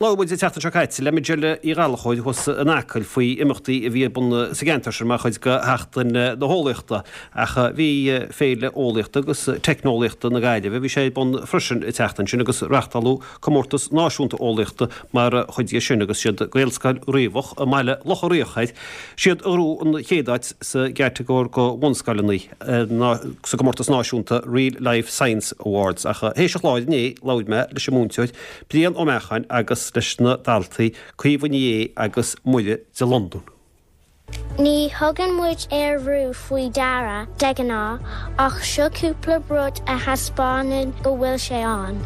Labhair muid an tseachtain seo caite le Majella Uí Ghallchóir thuas in Acaill faoi imeachtaí a bhí ar bun sa gceantar sin mar chuid de Sheachtain na hEolaíochta ach bhí Féile Eolaíochta agus Teicneolaíochta na Gaillimhe, bhí sé ar bun freisin an tseachtain sin agus reáchtáladh Comórtas Náisiúnta Eolaíochta mar chuid dhe sin agus siad Gaelscoil Riabhach i mBaile Locha Riach air siad a ghnóthaigh an chéad áit sa gcatagóir do bhunscoileanna. sa gcomórtas náisiúnta Reel Life Science Awards ach théis an chláir inné labhair mé leis an múinteoir Brian Ó Meacháin agus leis na daltaí Caoimhe Ní Aodha agus Muire de Londún. Ní thugann muid aerbhrú faoi deara de ghnáth, ach seo cúpla rud a thaispeánann go bhfuil sé ann.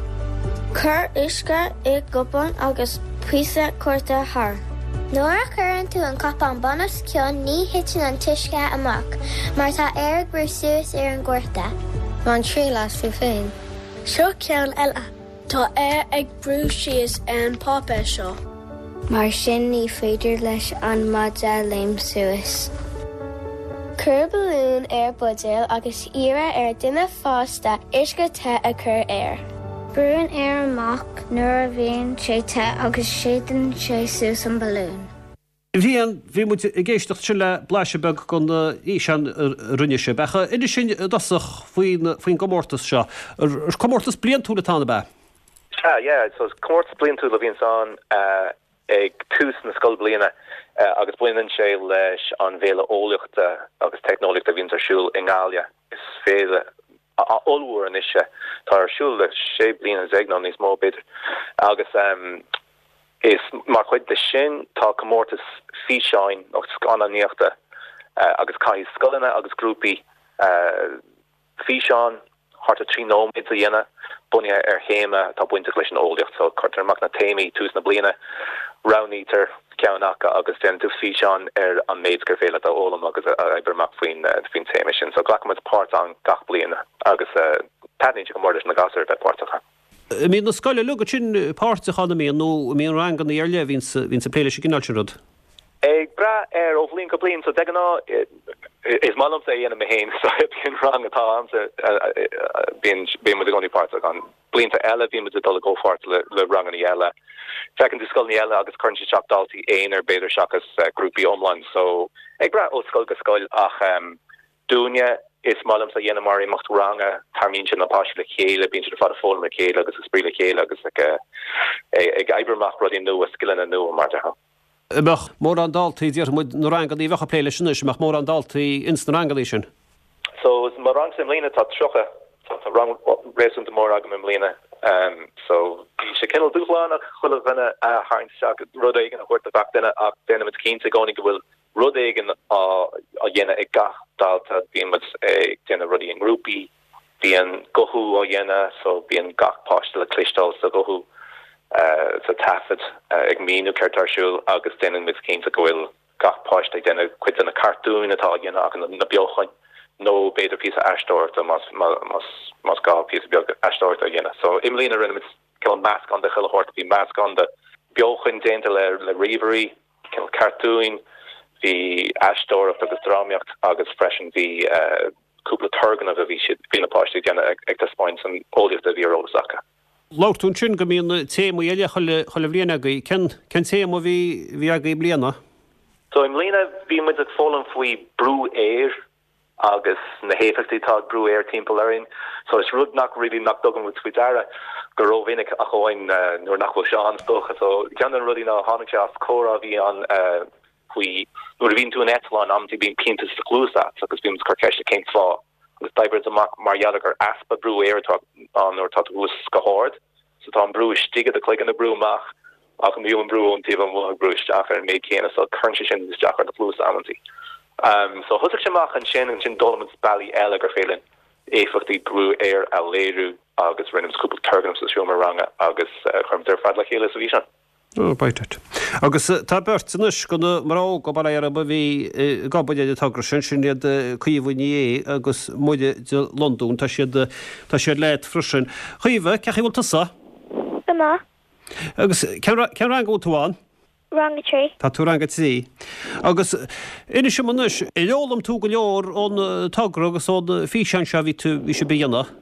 Cuir uisce i gcupán agus píosa cárta thart. Nuair a chuireann tú an cupán bun os cionn ní thiteann an t-uisce amach mar tá aer ag brú suas ar an gcárta. Bain triail as tú féin. Seo ceann eile. Tá aer ag brú síos ar an bpáipéar seo. Mar sin ní féidir leis an maide léim suas. Cuir balún ar buidéal agus iarr ar duine fásta uisce te a chur air. Brúnn aer amach nuair a bhíonn sé te agus séideann sé suas an balún. Bhriain, bhí muid ag éisteacht ansin le blaiseadh beag den fhíseán a rinne sibh. Ach inis dúinn i dtosach faoin faoin gcomórtas seo. Comórtas bliantúil atá ann, ab ea? Sea, yeah. So is comórtas bliantúil a bhíonns ann ag tús na scoilbhliana agus baineann sé leis an bhFéile Eolaíochta agus Teicneolaíochta a bhíonns ar siúl i nGaillimh. Is féile ollmhór anois é. Tá ar siúl le 16 bliana nó níos mó b'fhéidir. Agus Is mar chuid de sin tá comórtas físeáin nó scannánaíochta agus caithfidh scoileanna agus grúpaí físeán thart ar 3 nóiméad a dhéanamh bunaithe ar théama atá bainteach leis an eolaíocht. So cuirtear amach na téamaí tús na bliana, roghnaítear ceann acu agus déanann tú físeán ar an méid gur féidir leat a fhoghlaim agus a oibriú amach faoin faoin téama sin. So glacann muid páirt ann gach bliain agus taitníonn sé go mór leis na gasúir a bheith páirteach ann. An mbíonn na scoileanna uilig ansin páirteach ann, an mbíonn, nó an mbíonn ranganna ar leith a bhíonns, bhíonns ag plé leis an gcineál sin rud? Ag brath ar ó bhliain go bliain, so de ghnáth is maith liomsa é a dhéanamh mé féin, so bíonn rang atá a'msa, bíonn, bíonn muid i gcónaí páirteach ann. Blianta eile bíonn muid ag dul i gcomhpháirt le, le ranganna eile. Feiceann tú scoileanna eile agus cuireann siad isteach daltaí aonair b'fhéidir seachas grúpaí iomlán, so ag brath ó scoil go scoil ach Dúinne, is maith liomsa a dhéanamh mar imeacht ranga, tarraingíonn sé na páistí le chéile, bíonn siad ar fad ag foghlaim le chéile agus ag spraoi le chéile agus ag ag oibriú amach rudaí nua, scileanna nua mar a déarfá. An mbeadh mórán daltaí, déarfaidh muid, na ranganna a bheadh ag plé leis anois, an mbeadh mórán daltaí ins na ranganna sin? So, mo rangsa i mbliana tá 30, tá rang réasúnta mór agam i mbliana. So, bhí sé cineál dúshlánach chuile dhuine a tharraingt isteach, rud éigin a thabhairt do gach duine ach déanaimid cinnte i gcónaí go bhfuil rud éigin á dhéanamh ag gach dalta, bíonn muid ag déanamh rudaí i ngrúpaí, bíonn guthú á dhéanamh so bíonn gach páiste le cloisteáil sa ghuthú sa taifead ag míniú céard atá ar siúl agus déanann muid cinnte go bhfuil gach páiste ag déanamh cuid de na cartúin atá á dhéanamh acu, na beochain nó b'fhéidir píosa aisteoireachta más más gá píosa beag aisteoireachta a dhéanamh. So i mbliana rinne muid cineál meascán de chuile shórt, bhí meascán de beochain déanta le le ríomhairí, cineál cartúin, bhí aisteoireacht agus drámaíocht agus freisin bhí cúpla turgnamh a bhí siad, bhí na páistí ag déanamh ag taispeáint an eolaíocht a bhí ar eolas acu. Labhair tú ansin go mbíonn téamaí eile chuile, chuile bhliain agaibh. Cén, cén téama a bhí, bhí agaibh i mbliana? So i mbliana bhí muid ag foghlaim faoi brú aeir agus na héifeachtaí atá ag brú aeir timpeall orainn. So is rud nach really nach dtugann muid faoi deara go rómhinic ach amháin nuair nach bhfuil sé ann is dócha. So ceann de na rudaí ná tháinig sé as comhrá a bhí ann faoi nuair a bhíonn tú in eitleán amantaí bíonn pianta sa chluas agat agus bíonn muid ag cur ceiste cén fáth agus d'oibrigh muid amach mar gheall ar gur easpa brú aeir atá ann nuair atá tú thuas go hard. So tá an brú istigh i do chloigeann ag brú amach ach níl an brú ón taobh amuigh ag brú isteach ar an méid céanna so cuireann sé sin isteach ar do chluasa amantaí. So thosaigh sé amach ansin, ansin d'fhoghlaim muid bealaí eile gur féidir linn éifeachtaí brú aeir a léiriú agus rinne muid cúpla turgnamh sa seomra ranga agus chuir muid ar fad le chéile sa bhfíseán. Oh, bite it. Agus tá beirt anois de na mná óga, bail ó Dhia orthu, a bhí ag obair ar an togra sin, sin iad Caoimhe Ní Aodha agus Muire de Londún. Tá siad, tá siad leat freisin. Caoimhe, cén chaoi a bhfuil tusa? Go maith. Agus cén, cén rang a bhfuil tú ann? Rang 3. Tá tú i rang 3. Agus inis dom anois, ar fhoghlaim tú go leor ón togra agus ón físeán seo a bhí tú, bhí sibh a dhéanamh?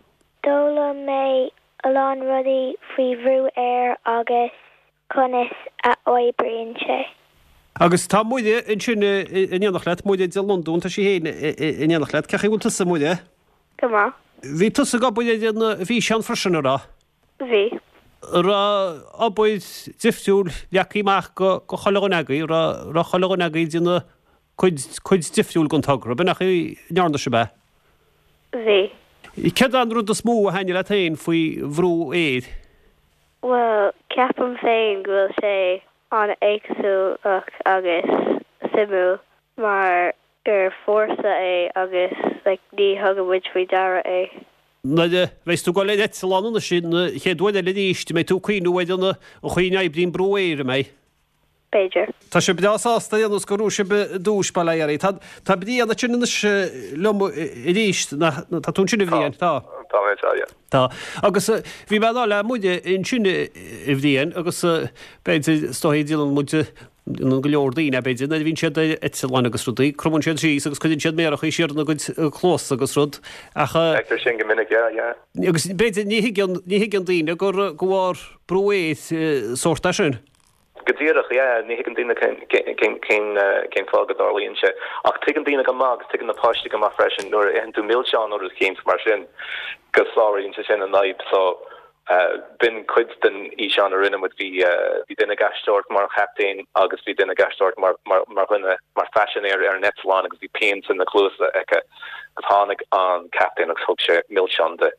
D'fhoghlaim mé a lán rudaí faoi bhrú aeir agus. Conas a oibríonn sé? Agus tá Muire ansin in éineacht leat, Muire de Londún, tá sí féin in éineacht leat. Cén chaoi a bhfuil tusa, a Mhuire? Go maith. Bhí tusa ag obair ar an bhfíseán freisin, an raibh? Bhí. An raibh obair difriúil leagtha amach do chuile dhuine agaibh, an raibh chuile dhuine agaibh ag déanamh cuid, cuid difriúil den togra, b'in an chaoi a ndearna sibh é? Bhí. Céard é an rud is mó a thaitnigh leat féin faoi bhrú aeir? Bhuel, ceapaim féin go bhfuil sé an-éagsúlach agus suimiúil mar gur fórsa é agus like ní thugann muid faoi deara é. Nuair a bheas tú ag dul ar eitleán anois an chéad uair eile arís, an mbeidh tú ag cuimhniú ar an chaoi a n-oibríonn brú aeir, an mbeidh? B'fhéidir. Tá sibh breá sásta ar aon nós gur bhuaigh sibh duais, bail ó Dhia oraibh. Tá, tá Brian ansin anois liom arís, nach, tá tú ansin a Bhriain? Tá. Tá mé anseo, yeah. Tá. Agus bhí mé ag rá le Muire ansin a Bhriain agus b'fhéidir, is dóigh, déanann muid, déanann go leor daoine, b'fhéidir, nuair a bhíonn siad ar eitleáin agus rudaí, cromann siad síos agus cuireann siad méaracha siar ina gcuid cluasa agus rud ach. Feictear sin go minic, yeah, yeah. Agus b'fhéidir ní thuigeann, ní thuigeann daoine gur, de bharr brú aeir sórt é sin. Go díreach, yeah. Ní thuigeann daoine cén fáth go dtarlaíonn sé. Ach tuigeann daoine go maith, agus tuigeann na páistí go maith freisin, nuair a itheann tú milseán nó rud eicínt mar sin, go sáraíonn sé sin an fhadhb. So, b'in cuid den fhíseán a rinne muid. Bhí duine ag aisteoireacht mar an chaptaen agus bhí duine ag aisteoireacht mar dhuine, mar phaisinéir ar an eitleán agus bhí pian sna cluasa aici. Agus tháinig an captaen agus thug sé milseán di.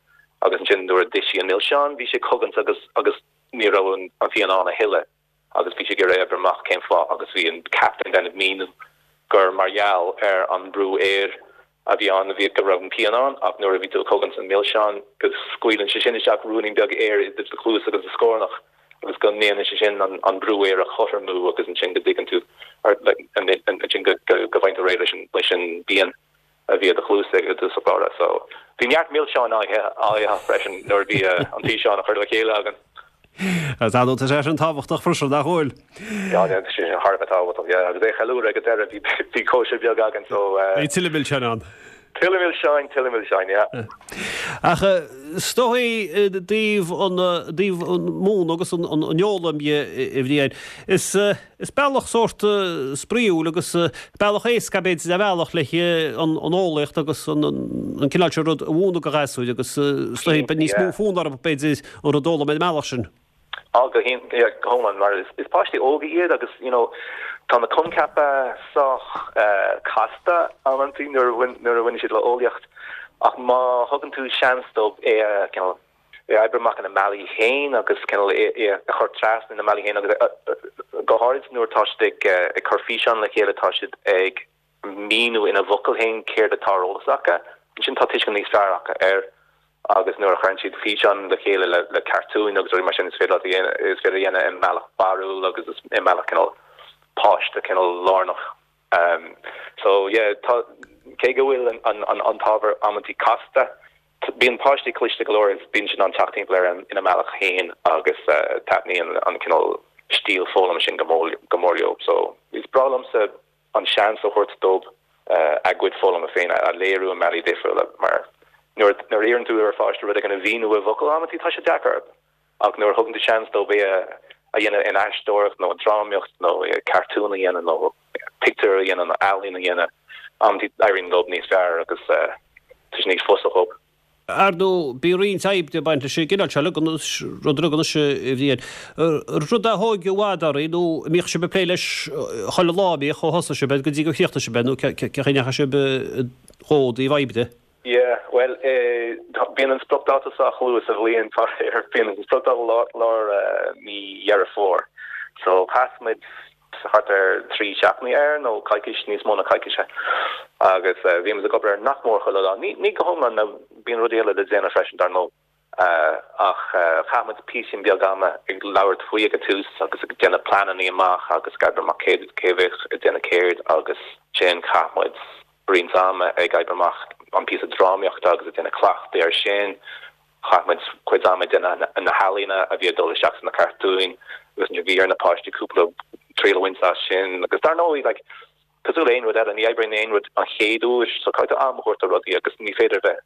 Agus ansin nuair a d'ith sí an milseán, bhí sé ag cogaint agus agus ní raibh an phian ann a thuilleadh agus bhí sí ag iarraidh a oibriú amach cén fáth agus bhí an captaen ag déanamh míniú gur mar gheall ar an mbrú aeir a bhí ann a bhí go raibh an pian ann ach nuair a bhí tú ag cogaint an milseán go scaoileann sé sin isteach ruainnín beag aeir idir do chluas agus do scornach agus go ndéanann sé sin an brú aeir a chothromú agus ansin go dtuigeann tú ansin go bhfaigheann tú réidh leis an bpian. a bhí i do chluasa i dtús báire. So, bhí neart milseáin á ithe freisin nuair a bhí an físeán á chur le chéile againn. Tá nó tá sé sin tábhachtach freisin, nach bhfuil? Yeah, tá sé sin thar a bheith tábhachtach, yeah. Agus é a cheiliúradh ag an deireadh, bhí bhí cóisir beag againn, so. Bhí tuilleadh milseáin ann. Tuilleadh milseáin, tuilleadh milseáin, yeah. Ach is dóigh i dtaobh an dtaobh an múineadh agus an an fhoghlaim dhe, a Bhriain, is Is bealach sórt spraíúil agus bealach éasca b'fhéidir ar bhealach le an eolaíocht agus an cineál seo rud a mhúineadh do ghasúir agus is dóigh beidh níos mó fonn orthu b'fhéidir an rud a fhoghlaim ar an mbealach sin. Á go hiomlán mar is páistí óga iad agus you know tá na coincheapa sách casta amantaí nuair a bhaineann siad le eolaíocht ach má thugann tú seans dóibh é a cineál é a oibriú amach ina mbealaí féin agus cineál é a chur trasna ina mbealaí féin agus go háirid nuair atá siad ag ag cur físeán le chéile tá siad ag míniú ina bhfocail féin céard atá ar eolas acu. Ansin tá tuiscint níos fearr acu air agus nuair a chuireann siad físeán le chéile le le cartúin agus rudaí mar sin is féidir leat a dhéanamh is féidir a dhéanamh i mbealach barrúil agus i mbealach cineál páiste cineál lárnach. So yeah tá cé go bhfuil an an an t-ábhar amantaí casta Bíonn páistí cliste go leor agus bíonn siad in ann teacht timpeall air ina mbealach féin agus taitníonn an cineál stíl foghlama sin go mór leo. So, is breá liomsa an seans a thabhairt dóibh a gcuid foghlama féin a léiriú i mbealaí difriúla mar nuair a iarrann tú ar pháiste rud éigin a mhíniú i bhfocail amantaí tá sé deacair orthu ach nuair a thugann tú seans dóibh é a dhéanamh in aisteoireacht nó i drámaíocht nó cartún a dhéanamh nó pictiúr a dhéanamh nó ealaín a dhéanamh, amantaí éiríonn leo níos fearr agus tá sé níos fusa dhóibh. Ar ndóigh, bíonn roinnt oibre ag baint leis an gcineál seo, rud a anois a Bhriain. Rud a thóg i bhfad oraibh nó an mbíodh sibh ag plé leis chuile lá, an mbíodh, ó thosaigh sibh air go dtí gur chríochnaigh sibh é nó cén chaoi a ndeachaigh sibh dhó i dtaobh oibre? Yeah, bhuel, bíonn an spriocdháta sách luath sa bhliain, faraor. Bíonn an spriocdháta lár mí Dheireadh Fómhair. So, chaith muid thart ar 3 seachtainí air, nó coicís, níos mó ná coicís. Agus bhí muid ag obair air nach mór chuile lá. Ní go hiomlán, nó bíonn rudaí eile le déanamh freisin, dar ndóigh. Ach chaith muid píosín beag ama ag labhairt faoi ag an tús agus ag déanamh pleananna amach agus ag oibriú amach cé cé a bheadh ag déanamh céard agus ansin chaith muid roinnt ama ag oibriú amach an píosa drámaíochta agus ag déanamh cleachtaidh air sin. Chaith muid cuid ama ag déanamh na healaíona a bhí ag dul isteach sna cartúin agus ansin bhí ar na páistí cúpla triail a bhaint as sin. Agus dar ndóigh, like, cosúil le aon rud eile, ní oibríonn aon rud an chéad uair, so caithfidh tú am a thabhairt do rudaí agus ní féidir a bheith,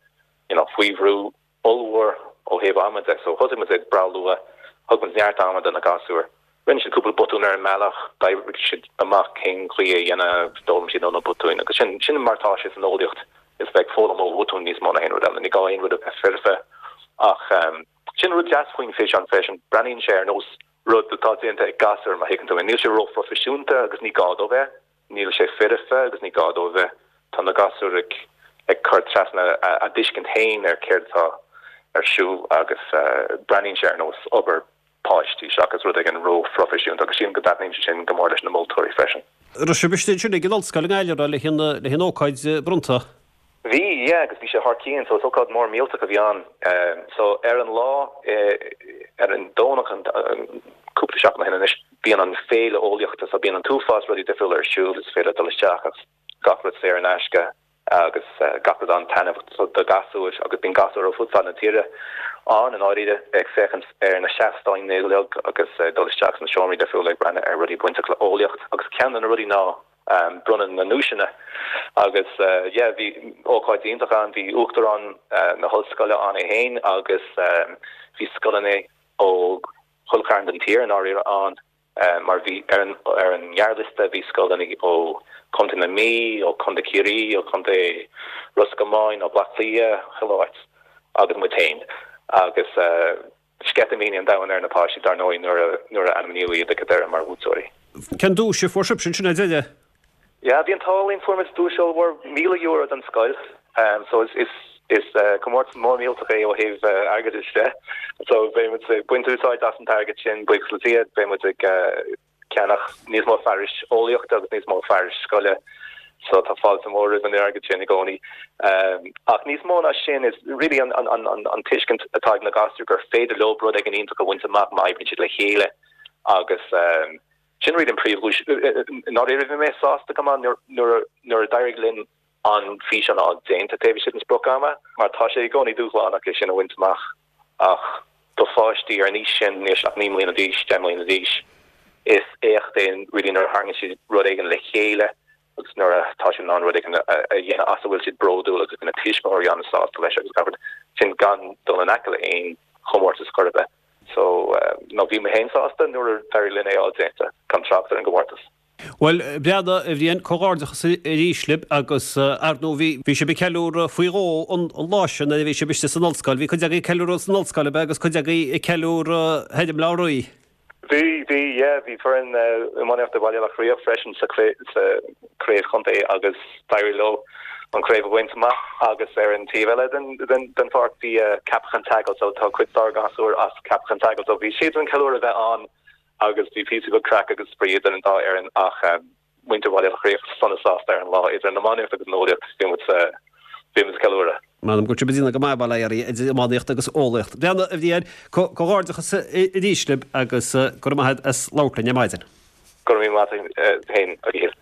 you know, faoi bhrú ollmhór ó thaobh ama de. So thosaigh muid ag breá luath, thug muid neart ama do na gasúir. Rinne siad cúpla botún ar an mbealach, d'oibrigh siad amach cén chaoi é a dhéanamh, d'fhoghlaim siad ó na botúin agus sin, sin mar atá sé san eolaíocht, is bheith ag foghlaim ó bhotúin níos mó ná aon rud eile, ní gá aon rud a bheith foirfe ach sin rud deas faoin bhfíseán freisin, breathnaíonn sé ar nós rud atá déanta ag gasúr má thuigeann tú mé, níl sé róphroifisiúnta agus ní gá dó bheith. Níl sé foirfe agus ní gá dó a bheith. Tá na gasúir ag ag cur trasna a dtuiscint féin ar céard atá ar siúl agus breathnaíonn sé ar nós obair páistí seachas rud éigin ró-phroifisiúnta agus sílim go dtaitníonn sé sin go mór leis na moltóirí freisin. Raibh sibh istigh ansin ag an ollscoil i nGaillimh le haghaidh an ócáid bronnta? Bhí, yeah, agus bhí sé thar cionn, so is ócáid mór millteach a bhí ann. So ar an lá, ar an Domhnach, cúpla seachtain ó shin anois, bíonn an féile eolaíochta, so bíonn an t-uafás rudaí difriúla ar siúl, is féidir dul isteach agus gach rud saor in aisce agus gach rud an-taitneamhach do ghasúir agus bíonn gasúir ó fud fad na tíre ann i ndáiríre ag féachaint ar na seastáin uilig agus ag dul isteach sna seomraí difriúla ag breathnú ar rudaí bainteach le eolaíocht agus ceann de na rudaí ná bronnadh na nduaiseanna agus yeah bhí ócáid iontach ann, bhí Uachtarán na hOllscoile ann é féin agus bhí scoileanna ó chuile chearn den tír i ndáiríre ann mar bhí ar an ar an ngearrliosta bhí scoileanna ó Chontae na Mí, ó Chontae Chiarraí, ó Chontae Ros Comáin, ó Bhaile Átha Cliath, chuile áit agus muid féin agus sceitimíní an domhain ar na páistí dar ndóigh nuair a nuair a ainmníodh iad ag an deireadh mar bhuaiteoirí. Cén duais a fuair sibhse ansin ar deireadh? Yeah, bhí an t-ádh linn, fuair muid duais ollmhór, €1,000 don scoil. So is is is comórtas mór millteach é ó thaobh airgeadais de. So beidh muid ag baint úsáid as an t-airgead sin, buíochas le Dia, beidh muid ag ceannach níos mó fearais eolaíochta agus níos mó fearais scoile so tá fáilte mhór roimh an airgead sin i gcónaí. Ach níos mó ná sin is really an an an an tuiscint atá ag na gasúir gur féidir leo rud éigin iontach a bhaint amach má oibríonn siad le chéile agus sin really an príomhdhuais. I ndáiríre bhí mé sásta go maith nuair nuair a d'éirigh linn an físeán a fháil déanta taobh istigh den sprioc-ama mar tá sé i gcónaí dúshlánach é sin a bhaint amach ach do pháistí ar an aois sin, níl siad ach 9 mbliana d'aois, 10 mbliana d'aois, is éacht é really nuair a tharraingíonn siad rud éigin le chéile agus nuair atá siad in ann rud éigin a dhéanamh as a bhfuil siad bródúil agus na tuismitheoirí an-sásta leis agus gach rud sin gan dul in aice le aon chomórtas chor ar bith. So, no, bhí mé féin sásta nuair a d'éirigh linn é a fháil déanta, gan trácht ar an gcomórtas. Bhuel, a Bhreandáin, a Bhriain, comhghairdeachas arís libh agus, ar ndóigh, bhí, bhí sibh ag ceiliúradh faoi dhó an lá sin nuair a bhí sibh istigh san ollscoil. Bhí cuid agaibh ag ceiliúradh san ollscoil, ab ea, agus cuid agaibh ag ceiliúradh thoir i mBleá Rí. Bhí, bhí, yeah, bhí foireann iománaíochta Bhaile Locha Riach freisin sa sa chraobh chontae agus d'éirigh leo an chraobh a bhaint amach agus ar an taobh eile den den den pháirc bhí Ceapach an tSeagail so tá cuid dár ngasúir as Ceapach an tSeagail so bhí siadsan ceiliúradh a bheith ann agus bhí píosa beag craic agus spraoi idir an dá fhoireann ach muintir Bhaile Locha Riach sona sásta ar an lá idir an iománaíocht agus an eolaíocht bhí muid bhí muid ag ceiliúradh. M'anam go raibh sibh ag déanamh go maith bail ó Dhia oraibh idir iománaíocht agus eolaíocht. Bhreandáin, a Bhriain, comhghairdeachas arís libh agus go raibh maith agat as labhairt linn ar maidin. Go raibh míle maith agat féin, a Mhíchíl.